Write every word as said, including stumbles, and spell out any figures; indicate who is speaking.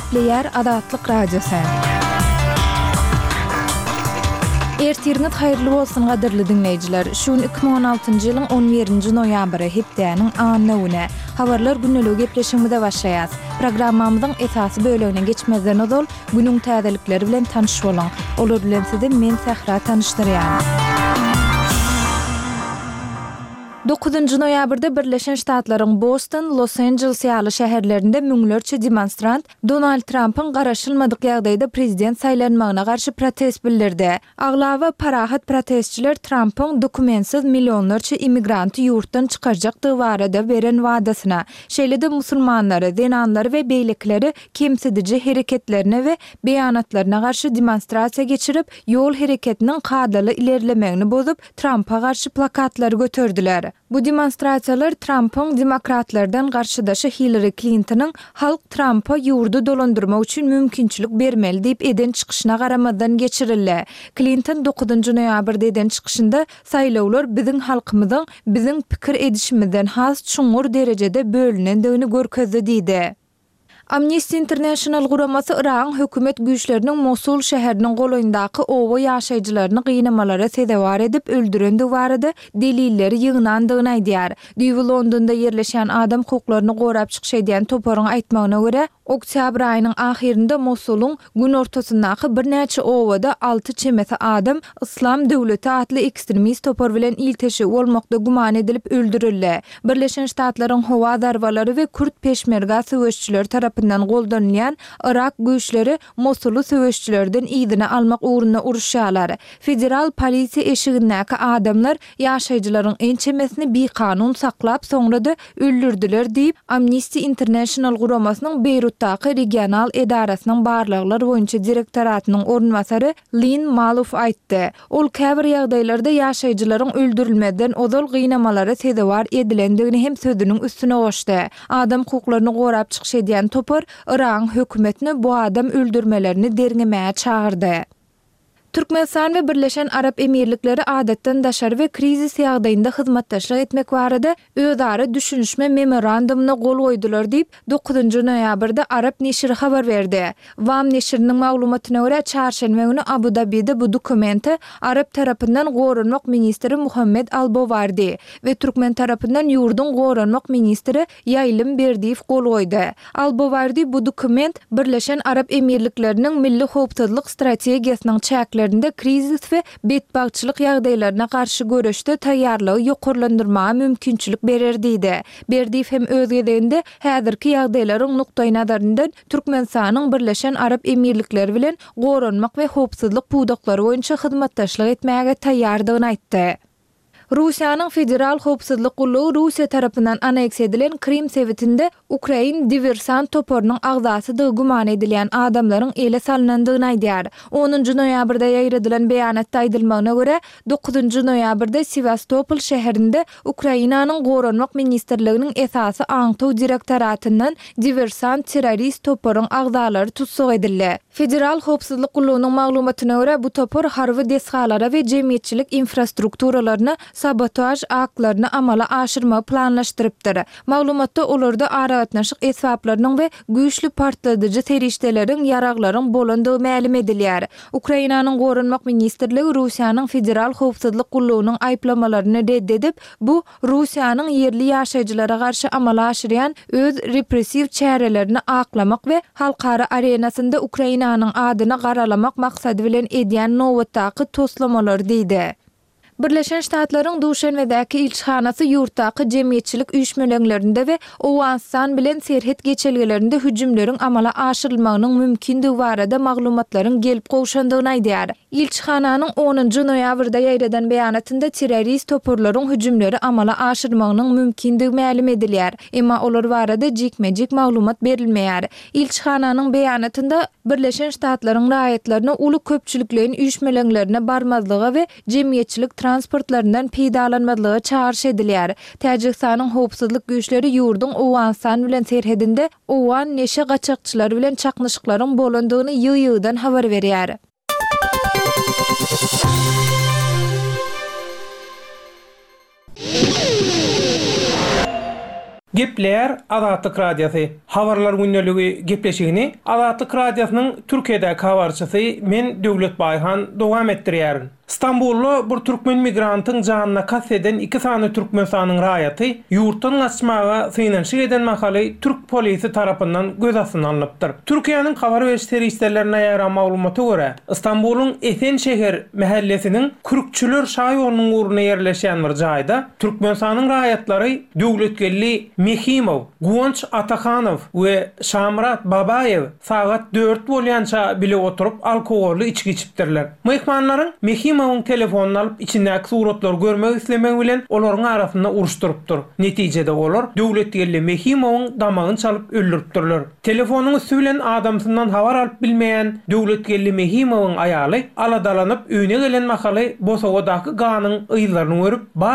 Speaker 1: Gepleýär Azatlyk Radiosy. Ertiriňiz haýyrly bolsun gadyrly diňleýjiler. Şu gün iki müň on altynjy ýylyň on birinji noýabry, hepdäniň anna güni. Habarlar gündeligi gepleşigimize başlaýas. Programmamyzyň esasy bölegine geçmezden ozal günüň täzelikleri bilen tanyş boluň. Olar bilen sizi men Sähra tanyşdyrýan. Dokuzynjy noýabrda Birleşen Ştatlaryň Boston, Los-Anjeles ýaly şäherlerinde müňlerçe demonstrant Donald Trampyň garaşylmadyk ýagdaýda prezident saýlanmagyna garşy protest bildirdi. Aglaba parahat protestçiler Trampyň dokumentsiz millionlarça immigranty ýurtdan çykarjakdygy barada beren wadasyna, şeýle-de musulmanlary, zenanlary we beýlekileri kemsidiji hereketlerine we beýanatlaryna garşy demonstrasiýa geçirip, ýol hereketiniň kadaly ilerlemegini bozup, Trampa garşy plakatlary göterdiler. Bu demonstrasiýalar Trampyň demokratlardan garşydaşy Hillary Klintonyň halk Trampa ýurdy dolandyrmak üçin mümkinçilik bermeli diýip eden çykyşyna garamazdan geçirildi. Klinton dokuzynjy noýabrda eden çykyşynda saýlawlar biziň halkymyzyň biziň pikir edişimizden has çuňňur derejede bölünendigini görkezdi diýdi. Amnesty International guramasy Yragyň hökümet güýçleriniň Mosul şäheriniň golaýyndaky oba ýaşaýjylaryny gynamalara sezewar edip öldürendigi barada delilleri ýygnandygyny aýdýar. Düýbi Londonda ýerleşýän adam hukuklaryny gorap çykyş edýän toparyň aýtmagyna görä, oktýabr aýynyň ahyrynda Mosulyň günortasyndaky birnäçe obada alty çemesi adam Yslam döwleti atly ekstremist topar bilen ilteşigi bolmakda güman edilip öldürildi. Birleşen Ştatlaryň howa zarbalary we kürt peşmerga söweşçileri tarapyndan goldanylýan Yrak güýçleri Mosuly söweşçilerden yzyna almak ugrunda uruşýarlar. Federal polisiýa eşigindäki adamlar ýaşaýjylaryň ençemesini bikanun saklap, soňra-da öldürdiler diýip, Amnesty International guramasynyň Beýrutdaky regional edarasynyň barlaglar boýunça direktoratynyň orunbasary Lin Malow aýtdy. Ol käbir ýagdaýlarda ýaşaýjylaryň öldürilmezden ozal gynamalara sezewar edilendigini hem sözüniň üstüne goşdy. Adam hukuklaryny gorap çykyş edýän topar Yragyň hökümetini bu adam öldürmelerini derňemäge çagyrdy. Türkmenistan we Birleşen Arap Emirlikleri adatdan daşary we krizis ýagdaýynda hyzmatdaşlyk etmek barada özara düşünişme memorandumyna gol goýdular diýip, dokuzynjy noýabrda Arap neşiri habar berdi. WAM neşiriniň maglumatyna görä, çarşenbe güni Abu-Dabide bu dokumente Arap tarapyndan goranmak ministri Muhammed Al-Bowardi we türkmen tarapyndan ýurduň goranmak ministri Ýaýlym Berdiýew gol goýdy. Al-Bowardi bu dokument Birleşen Arap Emirlikleriniň milli howpsuzlyk strategiýasynyň çäklerinde krizis we betbagtçylyk ýagdaýlaryna garşy göreşde taýýarlygy ýokarlandyrmaga mümkinçilik berer diýdi. Berdiýew hem öz gezeginde häzirki ýagdaýlaryň nukdaýnazaryndan Türkmenistanyň Birleşen Arap Emirlikleri bilen goranmak we howpsuzlyk pudaklary boýunça hyzmatdaşlyk etmäge taýýardygyny aýtdy. Russiýanyň Federal howpsuzlyk gullugy Russiýa tarapyndan anneksiýa edilen Krym sebitinde ukrain diwersant toparynyň agzasydygy güman edilýän adamlaryň ele salynandygyny aýdýar. Onunjy noýabrda ýaýradylan beýanatda aýdylmagyna görä, dokuzynjy noýabrda Sewastopol şäherinde Ukrainanyň Goranmak ministrliginiň esasy aňtaw direktoratyndan diwersant-terrorist toparyň agzalary tussag edildi. Federal howpsuzlyk gullugynyň maglumatyna görä, bu topar harby desgalara we jemgyýetçilik infrastrukturalaryna sabotaž aktlaryny amala aşyrmagy planlaşdyrypdyr. Maglumatda olarda aragatnaşyk esbaplarynyň we güýçli partladyjy serişdeleriň, ýaraglaryň bolandygy mälim edilýär. Ukrainanyň Goranmak ministrligi Russiýanyň Federal howpsuzlyk gullugynyň aýyplamalaryny red edip, bu Russiýanyň ýerli ýaşaýjylara garşy amala aşyrýan öz repressiw çärelerini aklamak we halkara arenasynda Ukrainanyň adyny garalamak maksady bilen edýän nobatdaky toslamalary diýdi. Birleşen Ştatlaryň Duşenbedäki ilçihanasy ýurtdaky jemgyýetçilik üýşmeleňlerinde we Owganystan bilen serhet geçelgelerinde hüjümleriň amala aşyrylmagynyň mümkindigi barada maglumatlaryň gelip gowşandygyny aýdýar. Ilçihananyň onunjy noýabrda ýaýradan beýanatynda terrorist toparlaryň hüjümleri amala aşyrmagynyň mümkindigi mälim edilýär. Emma olar barada jikme-jik maglumat berilmeýär. Ilçihananyň beýanatynda Birleşen Ştatlaryň raýatlaryna uly köpçülikleýin üýşmeleňlerine barmazlyga we jemgyýetçilik transportlaryndan peýdalanmazlyga çagyryş edilýär. Täjigistanyň howpsuzlyk güýçleri ýurduň Owganystan bilen serhedinde owgan neşe gaçakçylary bilen çaknyşyklaryň bolandygyny ýygy-ýygydan habar berýär.
Speaker 2: Gepleýär Azatlyk Radiosy. Habarlar gündeligi gepleşigini Azatlyk Radiosynyň Türkiýedäki habarçysy men Döwlet Baýhan dowam etdirýärin. Stambulda bir türkmen migrantyň janyna kast eden iki sany Türkmenistanyň raýaty ýurtdan gaçmaga synanyşyk eden mahaly türk polisi tarapyndan göz astyna alnypdyr. Türkiýäniň habar beriş serişdelerinde ýaýran maglumata görä, Stambulyň Esenşehir mähellesiniň Kürkçüler şaýolunyň ugrunda ýerleşýän bir jaýda Türkmenistanyň raýatlary Döwletgeldi Mehimow, Guwanç Atahanow we Şamyrat Babaýew sagat dört bolýança bile oturyp alkogolly içgi içipdirler. Myhmanlaryň Mehimowyň telefonyny alyp içindäki suratlary görmek islemegi bilen olaryň arasynda uruş turupdyr. Netijede olar Döwletgeldi Mehimowyň damagyny çalyp öldüripdirler. Telefonyň üsti bilen adamsyndan habar alyp bilmeýän Döwletgeldi Mehimowyň aýaly aladalanyp öýüne gelen mahaly bosagadaky ganyň yzlaryny görüp, bar